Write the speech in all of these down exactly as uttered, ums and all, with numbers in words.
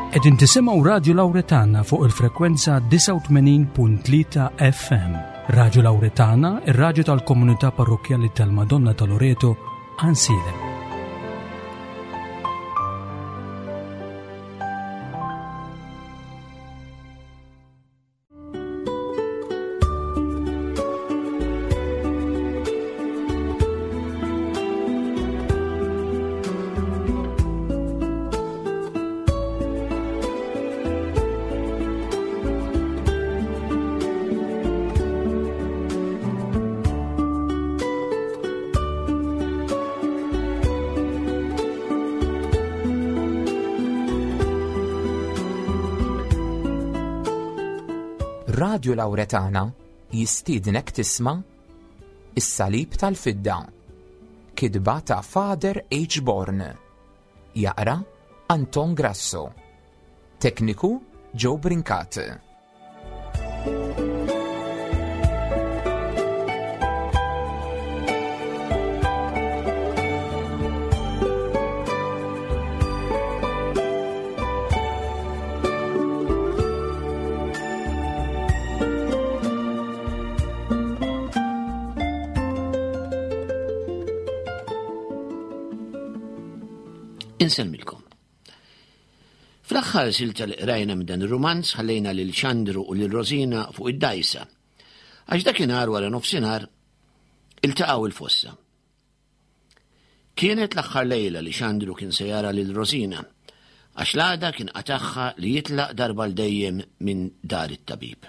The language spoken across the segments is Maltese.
Qegħdin tisimgħu Radio Lauretana fuq il-frekwenza disgħa u tmenin punt tlieta F M. Radio Lauretana, ir-radju tal-Komunità Parrokkjali tal-Madonna ta' Loreto, Għajnsielem. Radio Lauretana jistiednek tisma' Is-Salib tal-Fidda. Kitba ta' Father H. Born. Jaqra Anton Grasso. Tekniku Joe Brincat. Insellmilkom. Fl-aħħar silta li qrajna minn dan ir-rumanz, ħallejna lil Xandru u lil Rosina fuq id-dajsa. Għax dakinhar wara nofsinhar iltaqgħu il-fossa. Kienet l-aħħar lejla li Xandru kien se jara lil Rosina, għax l-għada kien qatagħha li jitlaq darba l dejjem minn dar it-tabib.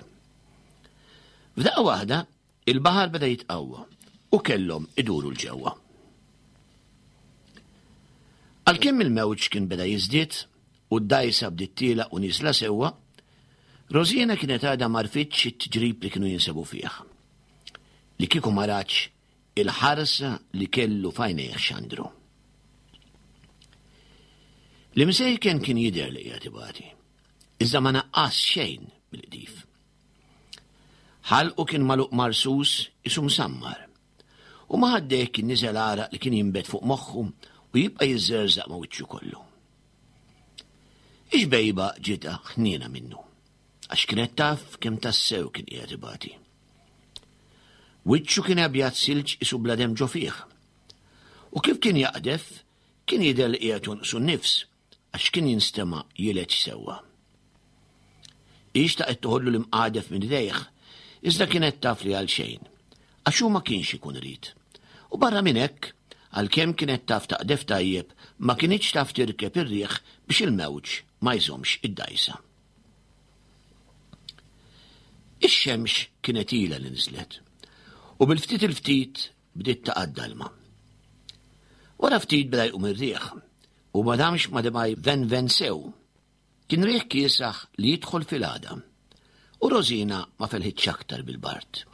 F'daqqa waħda, il-baħar beda jitqawwa u kellhom iduru 'l ġewwa. Għalkemm il-mewġ kien beda jiżdied u d-dajsa bdiet tielgħa u nieżla sewwa, Rosina kienet għadha m'għarfitx it-tiġrib li kienu jinsabu fih. Li kieku ma ratx il-ħarsa li kellu f'għajnejh Xandru. L-imsejken kien jidher li qiegħed ibati, iżda ma naqqas xejn mill-qdif. Ħalqu kien magħluq marsus qisu msammar, u ma' ħaddejh kien niżel għaraq li kien jinbet fuq moħħu u jibqa' jiżżerżaq ma' wiċċu kollu. Ix-xbejba ġietha ħniena minnu, għax kienet taf kemm tassew kien qiegħed ibati. Wiċċu kien abjad silġ qisu bla demm ġo fih. U kif kien jaqdef, kien jidher li qiegħed jonqsu n-nifs, għax kien jinstema' jileġ sewwa. Hi xtaqet toħodlu l-imqadef minn idejh, iżda kienet taf li għal xejn, għax hu ma kienx ikun irid. U barra minn hekk, għalkemm kienet taf taqdef tajjeb, ma kinitx taf tirkeb ir-riħ biex il-mewġ ma jżomx id-dajsa. Ix-xemx kienet ilha li niżlet, u bil-ftit il-ftit bdiet taqa' d-dalma. Wara ftit beda jqum ir-riħ, u ma damx ma beda jvenven sew. Kien riħ kiesaħ li jidħol fil-għadam, u Rosina ma felħitx aktar bil-bard.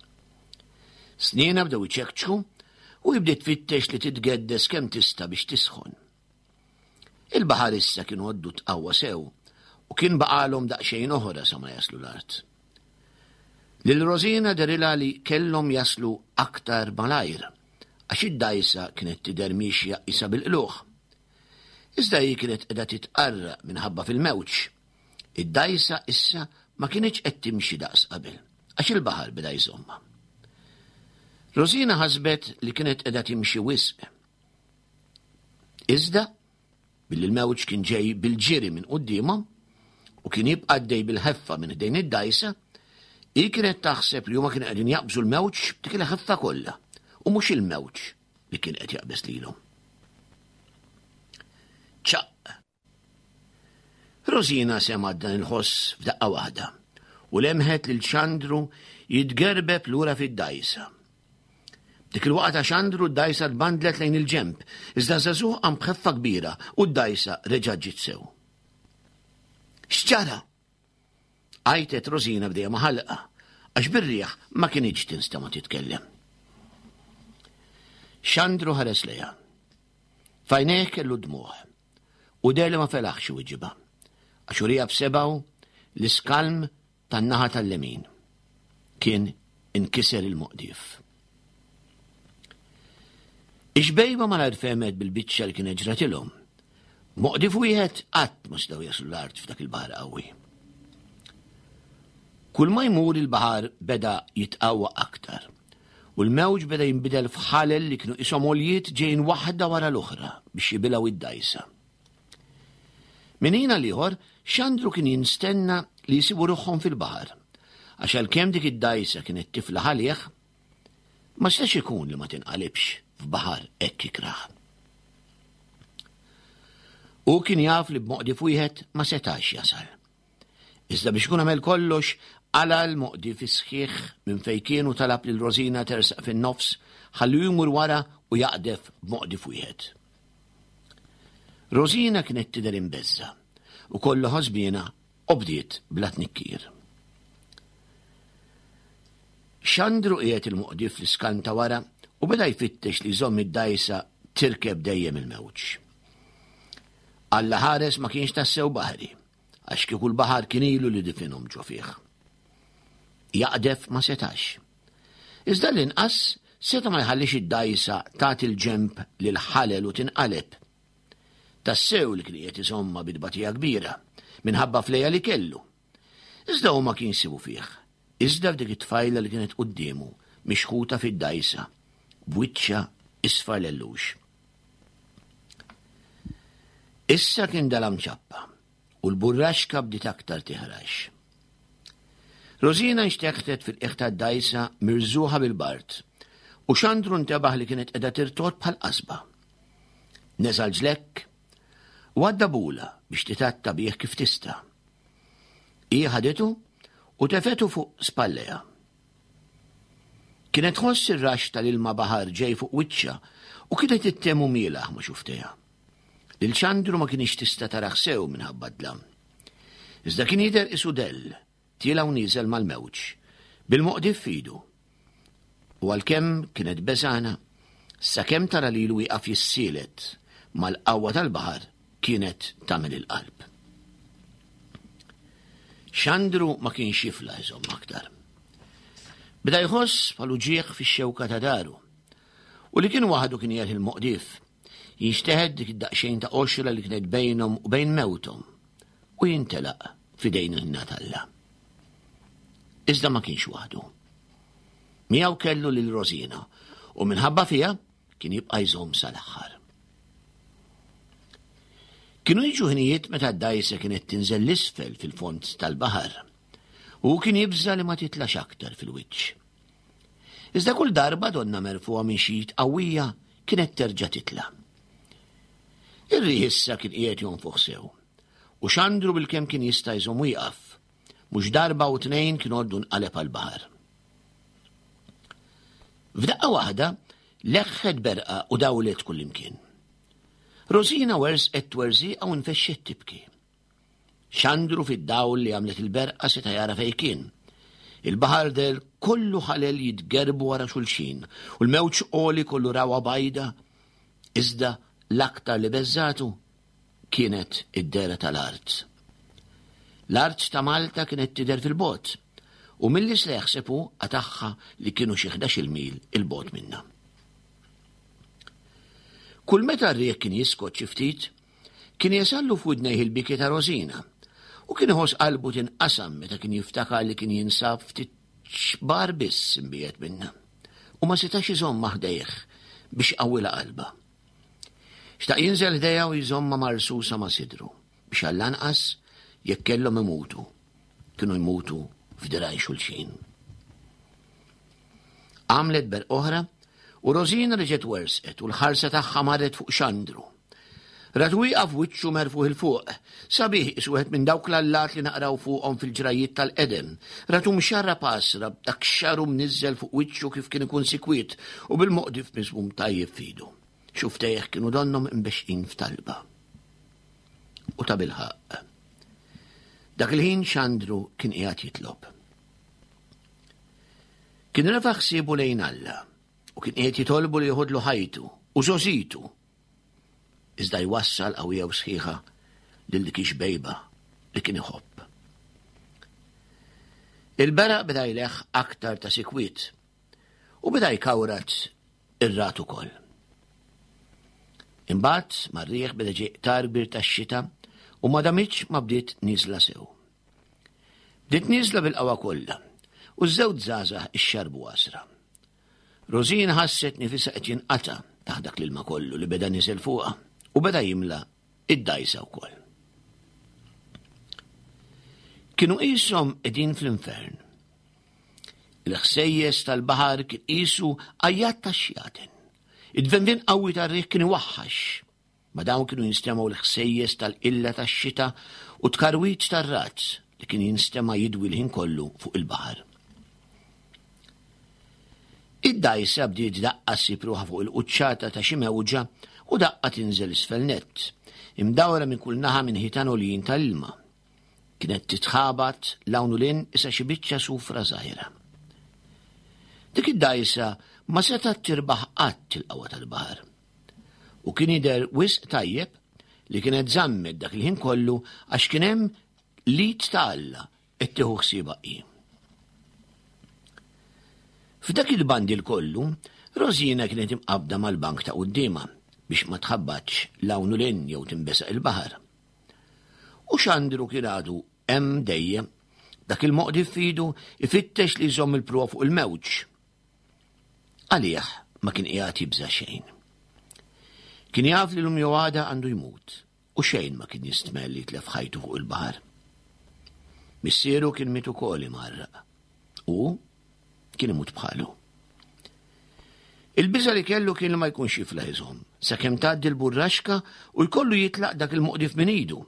Snienha bdew iċekċku u bdiet tfittex li titgeddes kemm tista' biex tisħon. Il-baħar issa kien għoddu tqawwa sew u kien baqalhom daqsxejn oħra sa ma jaslu l-art. Lil Rosina dehrilha li kellhom jaslu aktar malajr, għax id-dajsa kienet tidher miexja qisha bil-qlugħ. Iżda hi kienet qiegħda titqarraq minħabba fil-mewġ. Id-dajsa issa ma kinitx qed timxi daqs qabel, għax il-baħar beda jżommha. Rosina ħasbet li kienet qiegħda timxi wisq. Iżda, billi l-mewġ kien ġej bil-ġiri minn quddiemhom u kien jibqa' għaddej bil-ħeffa minn ħdejn id-dajsa, hi kienet taħseb li huma kienu qegħdin jaqbżu l-mewġ b'dik il-ħeffa kollha u mhux il-mewġ li kien qed jaqbeż lilhom. Ċaq! Rosina semgħet dan il-ħoss f'daqqa waħda u lemħet lil Xandru jitgerbeb lura fid-dajsa. Dik il-waqgħa ta' Xandru, d-dajsa tbandlet lejn il-ġemp, iżda żagħżugħ qam b'ħeffa kbira u d-dajsa reġgħet ġiet sew. "X'ġara?" għajtet Rosina b'dejja ma' ħalqha, għax bir-riħ ma kinitx tinstema' titkellem. Xandru ħares lejha. F'għajnejh kellu dmugħ u deher li ma felaħx iweġibha, għax uriha b'sebgħu l-iskalm tan-naħa tal-lemin. Kien inkiser il-moqdief. Ix-xbejba malajr fehmet bil-biċċa li kienet ġratilhom Moqdif wieħed qatt ma setgħu jaslu l-art f'dak il-baħar qawwi. Kull ma jmur il-baħar beda jitqawwa aktar u l-mewġ beda jinbidel f'ħalel li kienu qishom għoljiet ġejjin waħda wara l-oħra biex jibilgħu id-dgħajsa. Minn ħin għal ieħor, Xandru kien jinstenna li jsibu ruħhom fil-baħar, għax għalkemm dik id-dgħajsa kienet tiflaħ għalih, ma setax ikun li ma tinqalibx f'baħar hekk ikrah. U kien jaf li b'moqdif wieħed ma setax jasal. Iżda biex ikun għamel kollox, qala' l-moqdif sħiħ minn fejn kienu talab lil Rosina tersaq fin-nofs ħalli jmur wara u jaqdef b'moqdif wieħed. Rosina kienet tidher imbeżża' u kollha ħosbina u bdiet bla tnikkir. Xandru qiegħed il-moqdif fl-iskanta wara u beda jfittex li jżomm id-dgħajsa tirkeb dejjem il-mewġ. Alla ħares ma kienx tassew baħri, għax kieku l-baħar kien ilu li difinhom ġo fih. Jaqdef ma setax. Iżda l-inqas seta ma jħallix id-dgħajsa tagħti l-ġenb lil ħalel u tinqaleb. Tassew li kien qiegħed iżomma bi tbatija kbira minħabba fleja li kellu. Iżda hu ma kien sibu fih. Iżda f'dik it-tfajla li kienet quddiemu mixħuta fid-dgħajsa b'wiċċha isfar lellux. Issa kien dalam ċappa u l-burraxka bdiet aktar tiħrax. Rosina nxteħtet fil-qiegħ tad-dgħajsa mirżuħa bil-bard u Xandru ntebaħ li kienet qiegħda tirtod bħal qasba. Neżal ġlekk u għadda bula biex titatta bih kif tista'. Hi ħaditu u tefetu fuq spalleja. Kienet tħoss ir-rax tal-ilma baħar ġej fuq wiċċha u kienet ittemu mielaħ ma' xuftejha. Lil Xandru ma kienx tista' taraħ sew minħabba dlam. Iżda kien jidher isu dell, tiela' u nieżel mal-mewġ, bil-moqdif f'idu. U għalkemm kienet beżana, sakemm tara lilu wieqaf jissielet mal-qawwa tal-baħar kienet tagħmel il-qalb. Xandru ma kienx jifla jżomm aktar. Beda jħoss bħal uġigħ fix-xewka ta' daru u li kien waħdu kien jerħi l-moqdif, jinxteħed dik id-daqsxejn ta' qoxra li kienet bejnhom u bejn mewthom u jintelaq f'idejn il-ħna t'Alla. Iżda ma kienx waħdu. Miegħu kellu lil Rosina u minħabba fiha kien jibqa' jżomm sal-aħħar. Kienu jiġu ħinijiet meta d-dgħajsa kienet tinżel l-isfel fil-fond tal-baħar u kien jibża li ma titlax aktar fil-wiċċ. Iżda kull darba donna merfuha minn xi qawwija kienet terġa' titla'. Ir-riħ issa kien qiegħed jonfoħ sew u Xandru bilkemm kien jista' jżomm wieqaf, mhux darba u tnejn kien għoddu nqaleb għall-baħar. F'daqqa waħda leħħet berqa u dawlet kullimkien. Rosina wersqet twerżiqa u nfexxet tibki. Xandru fid-dawl li għamlet il-berqa seta' jara fejn kien. Il-baħar del kollu ħalel jitgerbu wara xulxin u l-mewġ għoli kollu rawa bajda, iżda l-aktar li beżżatu kienet id-dera tal-art. L-art ta' Malta kienet tidher fil-bogħod u milli se jaħsebu qatagħha li kienu xi ħdax-il mil il-bogħod minnha. Kull meta r-riħ kien jiskot xi ftit, kien jasallu f'widnejh il-biki ta' Rosina u kien iħoss qalbu tinqasam meta kien jiftakar li kien jinsab ftit xbar biss imbiegħed minnha u ma setax iżomm ħdejh biex iqawwilha qalbha. Xtaq jinżel ħdejha u jżommha marsusa ma' sidru biex għall-anqas jekk kellhom imutu, kienu jmutu f'diraj xulxin. Għamlet berq oħra u Rosina reġgħet wersqet u l-ħarsa tagħha marret fuq Xandru. Rat wieqaf wiċċu merfuħ il fuq, sabiħ qisu wieħed minn dawk l-allat li naqraw fuqhom fil-ġrajiet tal-qedem. Ratu mxarra pasra b'dak xaru mniżżel fuq wiċċu kif kien ikun sikwiet u bil-moqdif miżmum tajjeb f'idu. Xuftejh kienu donnhom imbexqin f'talba. U ta' bilħaqq. Dak il-ħin Xandru kien qiegħed jitlob. Kien refa' ħsiebu lejn Alla u kien qiegħed jitolbu li joħodlu ħajtu u żożitu. Iżda jwassal qawwija u sħiħa lil dik ix-xbejba li kien iħobb. Il-beraq beda jleħ aktar ta' sikwiet u beda jkawrat ir-rat ukoll. Imbagħad mar-riħ beda ġej qtar kbir tax-xita u ma damitx ma bdiet nieżla sew. Bdiet nieżla bil-qawwa kollha u ż-żewġ żgħażagħ ixxarbu għasra. Rosina ħasset nifisha qed jinqata' taħt dak l-ilma kollu li beda niżel fuqha u beda jimla id-dgħajsa wkoll. Kienu qishom qegħdin fl-infern. Il-ħsejjes tal-baħar kien qisu għajjat tax-xjaten. Id-dvenvien qawwi tar-riħ kien iwaħħax. Ma dawn kienu jinstemgħu l-ħsejjes tal-qilla tax-xita u tkarwit tar-razz li kien jinstema' jidwi l-ħin kollu fuq il-baħar. Id-dgħajsa bdiet daqqa ssib ruħha fuq il-quċċata ta' xi mewġa u daqqa tinżel isfel nett, imdawra minn kull naħa minn ħitan għoljin tal-ilma. Kienet titħabat 'l hawn u 'l hinn isa xi biċċa sufra żgħira. Dik id-dgħajsa ma setgħet tirbaħ qatt il-qawwa tal-baħar. U kien jidher wisq tajjeb li kienet żammet dak il-ħin kollu għax kien hemm l-id ta' Alla qed tieħu ħsiebha hi. F'dak il-bandil kollu, Rosina kienet imqabbda mal-bank ta' quddiemha biex ma tħabbatx 'l hawn u 'l hinn jew tinbesaq il-baħar. U Xandru kien għadu hemm dejjem, dak il-moqdi f'idu ifittex li jżomm il-pruwa fuq il-mewġ. Għalih ma kien qiegħed jibża' xejn. Kien jaf li l-lum jew għada għandu jmut u xejn ma kien jistmell li jitlef ħajtu fuq il-baħar. Missieru kien miet ukoll imgħarraq u kien imut bħalu. Il-biża' li kellu kien li ma jkunx jiflaħ iżomm, sakemm tgħaddi l-burraxka u jkollu jitlaq dak il-moqdif minn idu.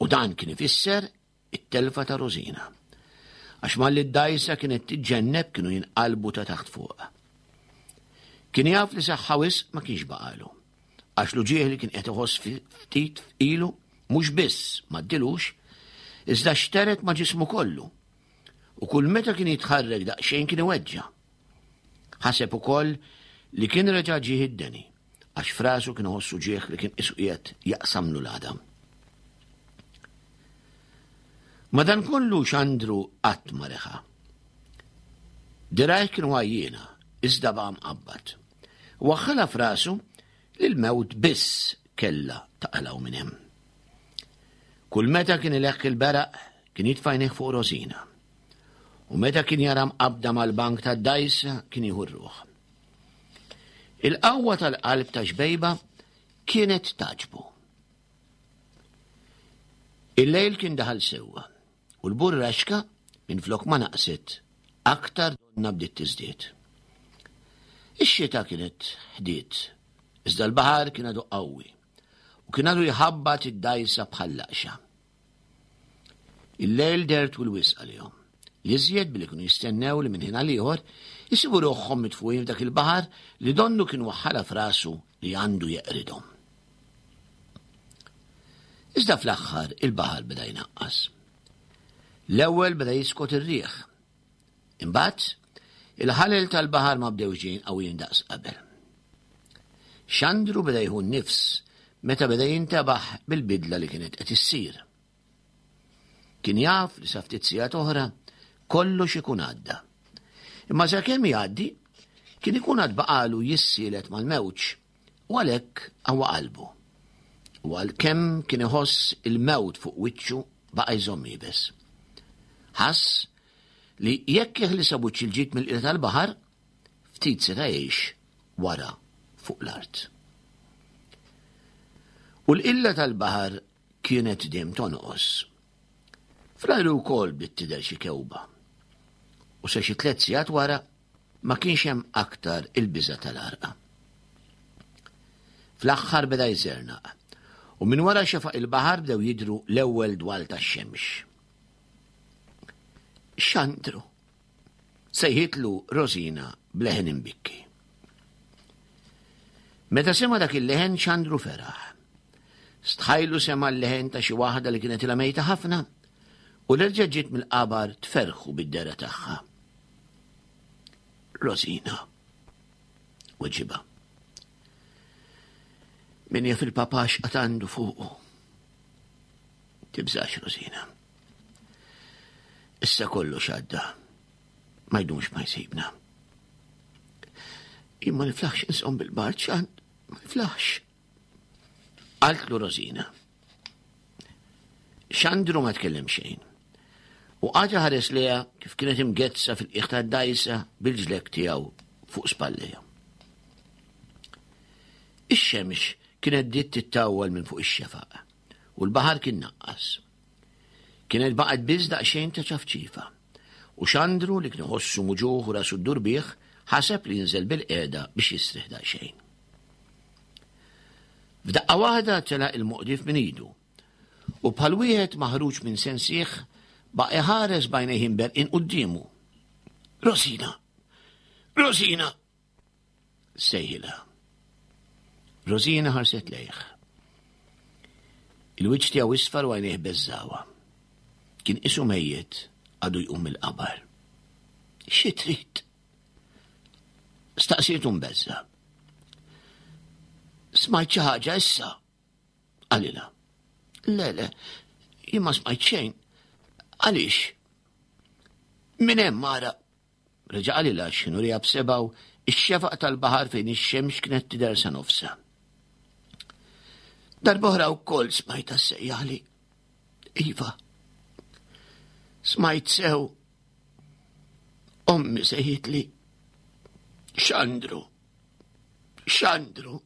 U dan kien ifisser it-telfa ta' Rosina. Għax malli d-dgħajsa kienet tiġġenneb kienu jinqalbu ta' taħt fuq. Kien jaf li saħħa wisq ma kienx baqalu. Għax l-uġigħ li kien qed iħoss ftit ilu mhux biss ma ddilux, iżda xteret ma' ġismu kollu. U kull meta kien jitħarrek daqsxejn kien iweġġa'. Ħaseb ukoll li kien reġa' ġieħ id-deni, għax frasu kien iħossu ġieħ li kien qisu qiegħed jaqsamlu l-għadam. Madankollu Xandru qatt ma reħa. Dirajh kienu għajjiena, iżda baqa' mqabbad. Waħħalha f'rasu li l-mewt biss kellha taqalgħu minn hemm. Kull meta kien ileħħ il-beraq kien jitfa' għajnejh fuq Rosina. U meta kien jara mqabbda mal-bank tad-dgħajsa kien jieħu r-ruħ. Il-qawwa tal-qalb ta' xbejba kienet taġbu. Il-lejl kien daħal sewwa u l-burraxka minn flok ma naqset aktar donna bdiet tiżdied. Ix-xita kienet ħdiet, iżda l-baħar kien għadu qawwi u kien għadu jħabbat id-dgħajsa bħal laqxa. Il-lejl deher twil wisq għalihom. L-iżjed billi kienu jistennew li minn ħin għal ieħor isibu ruħhom mitfuqin f'dak il-baħar li donnu kien waħħalha f'rasu li għandu jeqridhom. Iżda fl-aħħar il-baħar beda jnaqqas. L-ewwel beda jiskot ir-riħ. Imbagħad il-ħalel tal-baħar ma bdewx ġejjin qawwijin daqs qabel. Xandru beda jieħu n-nifs meta beda jintebaħ bil-bidla li kienet qed issir. Kien jaf li sa ftit sigħat oħra kollox ikun għadda. Imma sakemm jgħaddi kien ikun għad baqalu jissielet mal-mewġ u għalhekk qawwa qalbu. U għalkemm kien iħoss il-mewt fuq wiċċu baqa' jżomm iebes. Ħass li jekk jeħlisa buċċ il-ġid mill-qila tal-baħar, ftit seta' jgħix wara fuq l-art. U l-qilla tal-baħar kienet dejjem tonqos. Fl-ajru wkoll bdiet tidher xi kewba. U sa xi tliet sigħat wara ma kienx hemm aktar il-biża' tal-għarqa. Fl-aħħar beda jżernaq u minn wara xefaq il-baħar bdew jidhru l-ewwel dwal tax-xemx. Xandru, sejħitlu Rosina b'leħen imbikki. Meta sema dak il-leħen Xandru feraħ. Stħajlu sema l-leħen ta' xi waħda li kienet ilha mejta ħafna u l-erġa' ġiet mill-qabar tferħu bid-dera tagħha. Rosina, weġiba. Min jaf il-papà x'qatt għandu fuqu. Tibżax, Rosina. Issa kollox għadda. Ma jdumx ma jsibna. Jien ma niflaħx insom bil-bard, Xand, Ma jiflaħx. Qaltlu Rosina. Xandru ma tkellem xejn. U qagħad iħares lejha kif kienet imgezza fil-qiegħ tad-dgħajsa bil-ġlekk tiegħu fuq spallejha. Ix-xemx kienet bdiet tittawwal minn fuq ix-xefaq u l-baħar kien naqqas. Kienet baqgħet biss daqsxejn ta' ċafċifa. U Xandru li kien iħossu muġugħ u rasu ddur bih ħaseb li jinżel bil-qiegħda biex jistrieħ daqsxejn. F'daqqa waħda telaq il-moqdif minn idu u bħal wieħed maħruġ minn sensih baqa' iħares b'għajnejh imberqin quddiemu. Rosina! Rosina! Sejħilha. Rosina ħarset lejh. Il-wiċċ tiegħu isfar u għajnejh beżżawha. Kien qisu mejjet għadu jqum mill-qabar. Xi trid? Staqsietu mbeżża'. Smajt xi ħaġa issa? Qalilha. Le, le, jien ma smajt xejn. Għaliex? Minn hemm ara. Reġa' qalilha x'inhu riha b'sebgħu ix-xefaq tal-baħar fejn ix-xemx kienet tidher sa nofsha. Darb'oħra wkoll smajtha ssejjaħli. Iva. Smajt sew. Ommi sejħitli. Xandru. Xandru.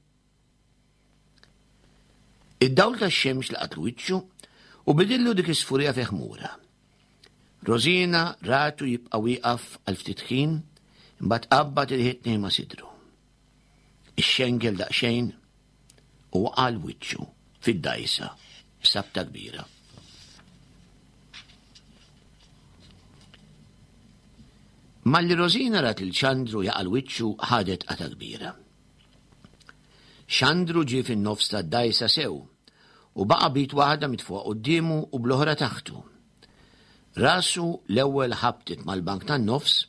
Id-dawl tax-xemx laqat wiċċu u bidillu dik is-sfurija fi ħmura. Rosina ratu jibqa' wieqaf għal ftit ħin, imbagħad qabbad il-ħitni ma' sidru. Ixxengel daqsxejn u waqa' wiċċu fid-dgħajsa b'sabta kbira. Malli Rosina rat lil Xandru jaqa' wiċċu ħadet qata kbira. Xandru ġie fin-nofs tad-dgħajsa sew u baqa' b'id waħda mitfuqa quddiemu u bl-oħra taħtu. Rasu l-ewwel ħabtet mal-bank tan-nofs,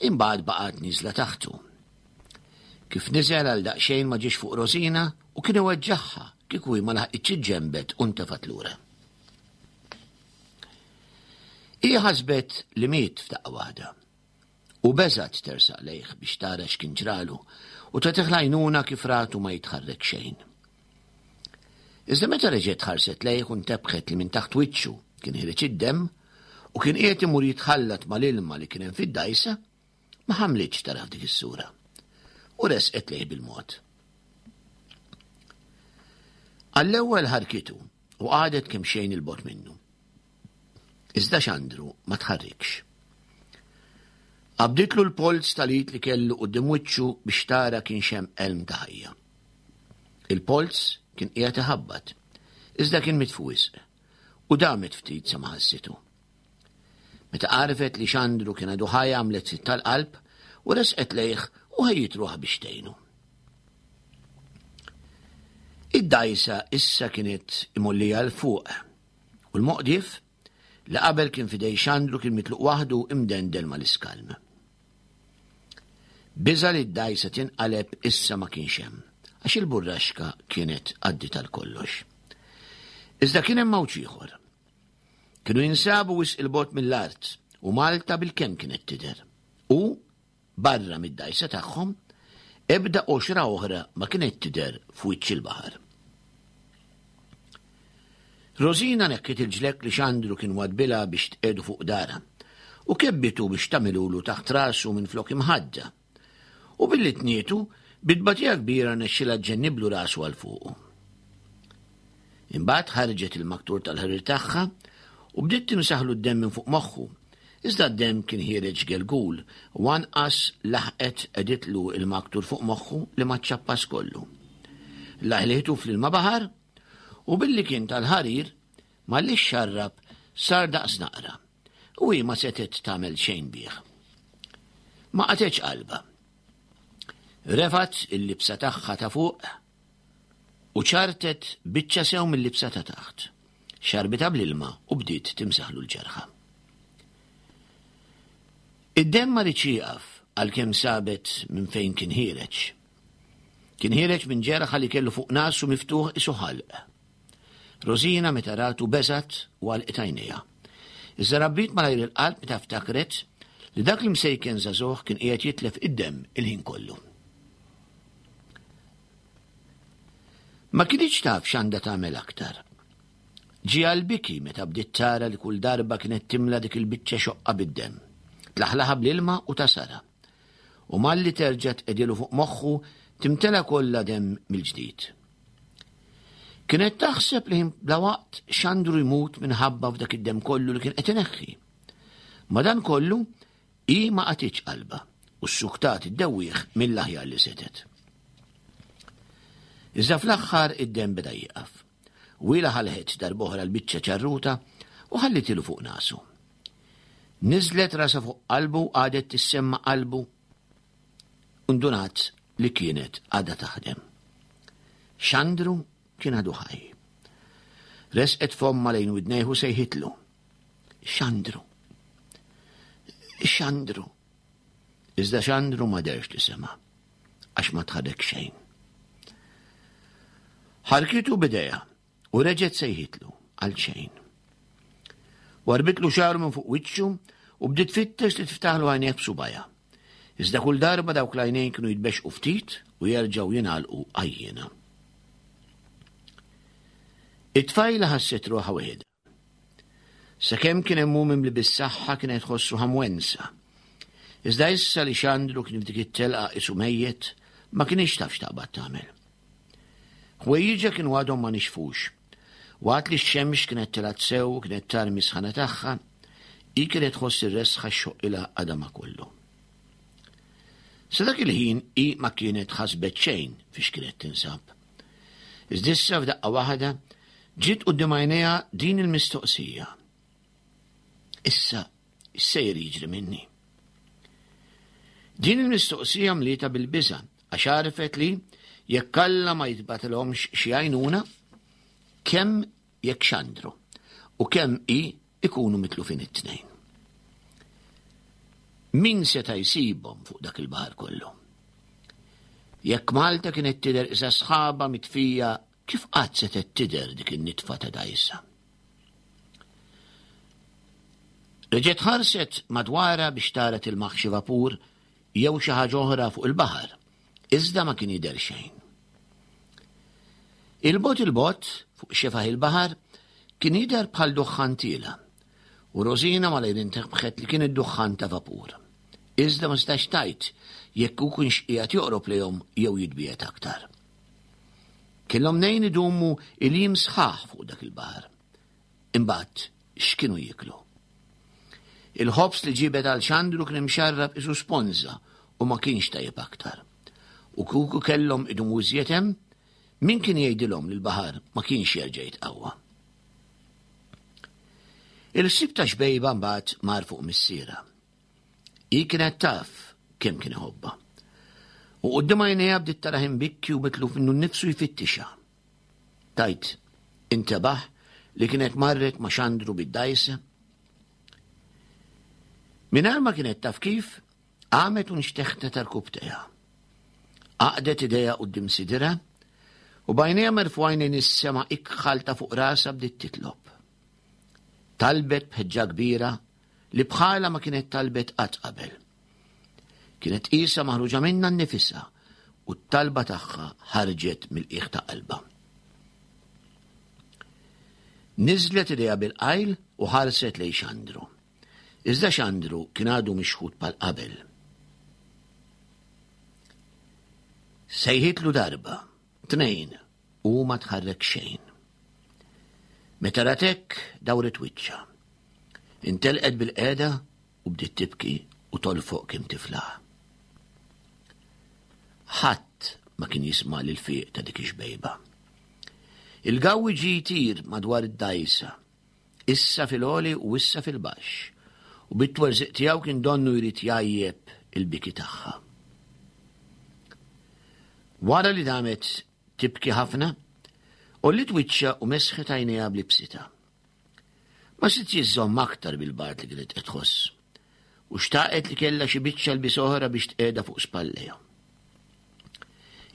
imbagħad baqgħet nieżla taħtu. Kif niżel għal daqsxejn ma ġiex fuq Rosina u kien iweġġagħha kieku hi ma laħqitx iġġembet u ntefgħet lura. Hija ħasbet li miet f'daqqa waħda u beżgħet tersaq lejh biex tara x'kien ġralu u tagħtih l-għajnuna kif ratu ma jitħarrek xejn. Iżda meta reġgħet ħarset lejh u ntebħet li minn taħt wiċċu kien ħireġ id-demm u kien qiegħed imur jitħallat mal-ilma li kien hemm fid-dgħajsa, ma ħamlitx tara f'dik is-sura u resqet lejh bil-mod. Għall-ewwel ħarkitu u qagħdet kemm xejn il-bogħod minnu. Iżda Xandru ma tħarrikx. Qabditlu l-polz tal-id li kellu quddiem wiċċu biex tara kien xem elm ta' ħajja. Il-polz kien qiegħed iħabbat, iżda kien mitfu wisq u damet ftit sa ma ħassitu. Meta għarfet li Xandru kien għadu ħaj għamlet sitt tal-qalb u resqet lejh u ħejjiet ruħha biex tgħinu. Id-dgħajsa issa kienet imollija 'l fuq u l-moqdif li qabel kien f'idej Xandru kien mitluq waħdu imdendel mal-iskalm. Biża' li d-dgħajsa tinqaleb issa ma kienx hemm, għax il-burraxka kienet għaddiet għal kollox. Iżda kien hemm mawġ ieħor. Kienu jinsabu wisq il-bogħod mill-art u Malta bil-kemm kienet tidher. U barra mid-dgħajsa tagħhom ebda qoxra oħra ma kienet tidher f'wiċċ il-baħar. Rosina nekkit il-ġlekk li Xandru kien wadbilha biex tqegħdu fuq darha u kebbitu biex tagħmilulu taħt rasu minn flok imħadda. U billi tnietu, bit-tbatija kbira nexxilha ġġenniblu rasu għal fuqu. Imbagħad ħarġet il-maktur tal-ħarir tagħha u bdiet timsaħlu d-demm minn fuq moħħu, iżda d-demm kien ħiereġ gelgul u anqas laħqet qegħditlu il-maktur fuq moħħu li ma ċċappas kollu. Laħlitu fl-ilma baħar u billi kien tal-ħarir malli xxarrab sar daqs naqra u hi ma setgħet tagħmel xejn bih. Ma qatgħetx qalbha. Refat il-libsa tagħha ta' fuq u ċartet biċċa sew mill-libsa ta' taħt. Xarbitha bl-ilma u bdiet timsaħlu l-ġerħa. Id-demm ma riedx jieqaf għalkemm sabet minn fejn kien ħiereġ. Kien ħiereġ minn ġerħa li kellu fuq nasu miftuħ isu ħalq. Rosina meta ratu beżgħet u għalqet għajnejha. Iżda rabbit malajr il-qalb meta ftakret li dak li msejken żagħżugħ kien qiegħed jitlef id-demm il-ħin kollu. Ma kinitx taf x'għandha tagħmel aktar. Ġie għall-biki meta bdiet tara li kull darba kienet timla dik il-biċċa xoqqa bid-demm. Tlaħlaħa bl-ilma u tasara. U malli terġa' tqedilu fuq moħħu timtela kollha demm mill-ġdid. Kienet taħseb li bla waqt Xandru jmut minħabba f'dak id-demm kollu li kien qed ineħħi. Ma dan kollu hi ma qatitx qalbha u ssuktat iddewwih mill-aħjar li setgħet. Iżda fl-aħħar id-demm beda jieqaf. Wila ħalħet darb'oħra l-biċċa ċarruta u ħallitilu fuq nasu. Niżlet rasa fuq qalbu għadet tissemma qalbu u ndunat li kienet għadha taħdem. Xandru kien għadu ħaj. Resqet fomma lejn widnejh u sejħitlu. Xandru. Xandru. Iżda Xandru ma derx li sema, għax ma tħarrek xejn. Ħarkitu b'idejha u reġgħet sejħitlu għal xejn. Warbitlu xagħru minn fuq wiċċu u bdiet tfittex li tiftaħlu għajnejh b'subgħajha. Iżda kull darba dawk l-għajnejn kienu jitbexqu ftit u jerġgħu jingħalqu għajjiena. It-tfajla ħasset ruħha weħidha. Sakemm kien hemm hu mimli bis-saħħa kienet tħossu ħamwensa. Iżda issa li Xandru kien f'dik it-telqa qisu mejjet, ma kienx taf x'taqbad tagħmel. Ħwejjiġha kienu għadhom ma nixfux. Waqt li x-xemx kienet telgħet sew u kienet tarmi sħana tagħha, hi kienet tħoss ir-resħa xoqilha għadama kollu. Sa dak il-ħin hi ma kienet ħasbet xejn fiex kienet tinsab. Iżda issa f'daqqa waħda ġiet quddiem għajnejha din il-mistoqsija. Issa x'sejjer jiġri minni? Din il-mistoqsija mlietha bil-biża' għax għarfet li jekk Alla ma jitbatilhomx xi għajnuna, kemm jekk Xandru u kemm hi ikunu mitlufin it-tnejn. Min seta' jsibhom fuq dak il-baħar kollu? Jekk Malta kienet tidher isa sħaba mitfija, kif qatt setgħet tidher dik in-nitfa ta' dgħajsa? Reġgħet ħarset madwarha biex tara tilmaħ xi vapur jew xi ħaġa oħra fuq il-baħar, iżda ma kien jidher xejn. Il-bot il-bot fuq xefaħ il-baħar kien jidher bħal duħħan tiela, u Rosina malajr intebħet li kien id-duħħan ta' vapur. Iżda ma setax tgħid jekk hu kienx qiegħed joqrob lejhom jew jitbiegħed aktar. Kellhom mnejn idumu il-jiem sħaħ fuq dak il-baħar. Imbagħad x'kienu jieklu? Il-ħobż li ġibet għal Xandru kien imxarrab isu sponża u ma kienx tajjeb aktar. U kieku kellhom idumu iżjed hemm, min kien jgħidilhom li l-baħar ma kienx jerġa' jitqawwa? Il-ħsieb ta' xbejba mbagħad mar fuq missierha. Hi kienet taf kemm kien iħobbha. U quddiem għajnejha bdiet tarah imbikki u mitluf minnu nnifsu jfittixha. Tajt, intebaħ li kienet marret ma' Xandru bid-dgħajsa. Mingħajr ma kienet taf kif, qamet u nxteħtet għal-kubtejha. Għaqdet idejha quddiem sidirha u b'għajnejha merfugħin lejn is-sema ikħal ta' fuq rasha bdiet titlob. Talbet b'ħeġġa kbira li bħala ma kienet talbet qatt qabel. Kienet qisha maħruġa minnha nnifisha u t-talba tagħha ħarġet mill-qiegħ ta' qalbha. Niżlet idejha bil-qajl u ħarset lejn Xandru. Iżda Xandru kien għadu mixħut bħal qabel. Sejħitlu darba, tnejn, u ma tħarrek xejn. Meta rat hekk dawret wiċċha. Intelqet bil-qiegħda u bdiet tibki u tolfoq kemm tiflaħ. Ħadd ma kien jisma' lil-fiq ta' dik ix-xbejba. Il-gawwi ġie jtir madwar id-dgħajsa, issa fil-għoli u issa fil-baxx, u bit-twerżiq tiegħu kien donnu jrid jgħajjeb il-biki tagħha. Wara li damet tibki ħafna, għolliet wiċċha u mesħet għajnejha b'libsitha. Ma sitx iżżomm aktar bil-bard li kienet qed tħoss, u xtaqet li kellha xi biċċa lbies oħra biex tqiegħda fuq spallejha.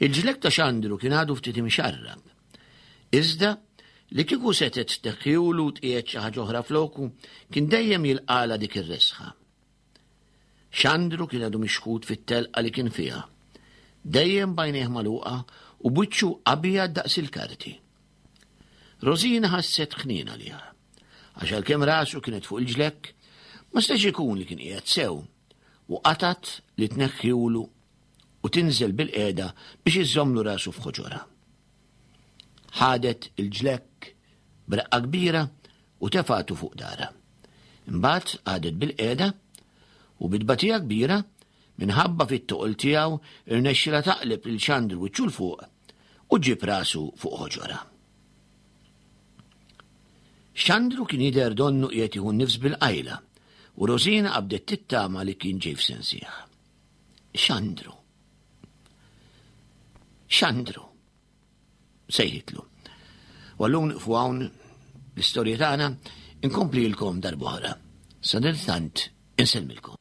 Il-ġlek ta' Xandru kien għadu ftit imxarrab. Iżda li kieku setgħet tneħħilu u tqiegħed xi ħaġa oħra floku, kien dejjem jilqala dik ir-resħa. Xandru kien għadu mixħut fit-telqa li kien fiha, dejjem b'għajnejh magħluqa u b'wiċċu abjad daqs il-karti. Rosina ħasset ħniena għalih. Għax għalkemm rasu kienet fuq il-ġlekk, ma setax ikun li kien qiegħed sew u qatgħet li tneħħihulu u tinżel bilqiegħda biex iżżommlu rasu f'ħoġorha. Ħadet il-ġlekk b'reqqa kbira u tefgħetu fuq daharha. Imbagħad qagħdet bilqiegħda u bi tbatija kbira minħabba fit-toqol tiegħu irnexxila taqleb lil Xandru wiċċu 'l fuq u ġġib rasu fuq ħoġorha. Xandru kien jidher donnu qiegħed jieħu nifs bil-qajla u Rosina qabdet tittama li kien ġej f'sensih. Xandru. Xandru. Sejħitlu. U għallum nieqfu hawn l-istorja tagħna inkomplilkom darb'oħra. Sadanittant insellmilkom.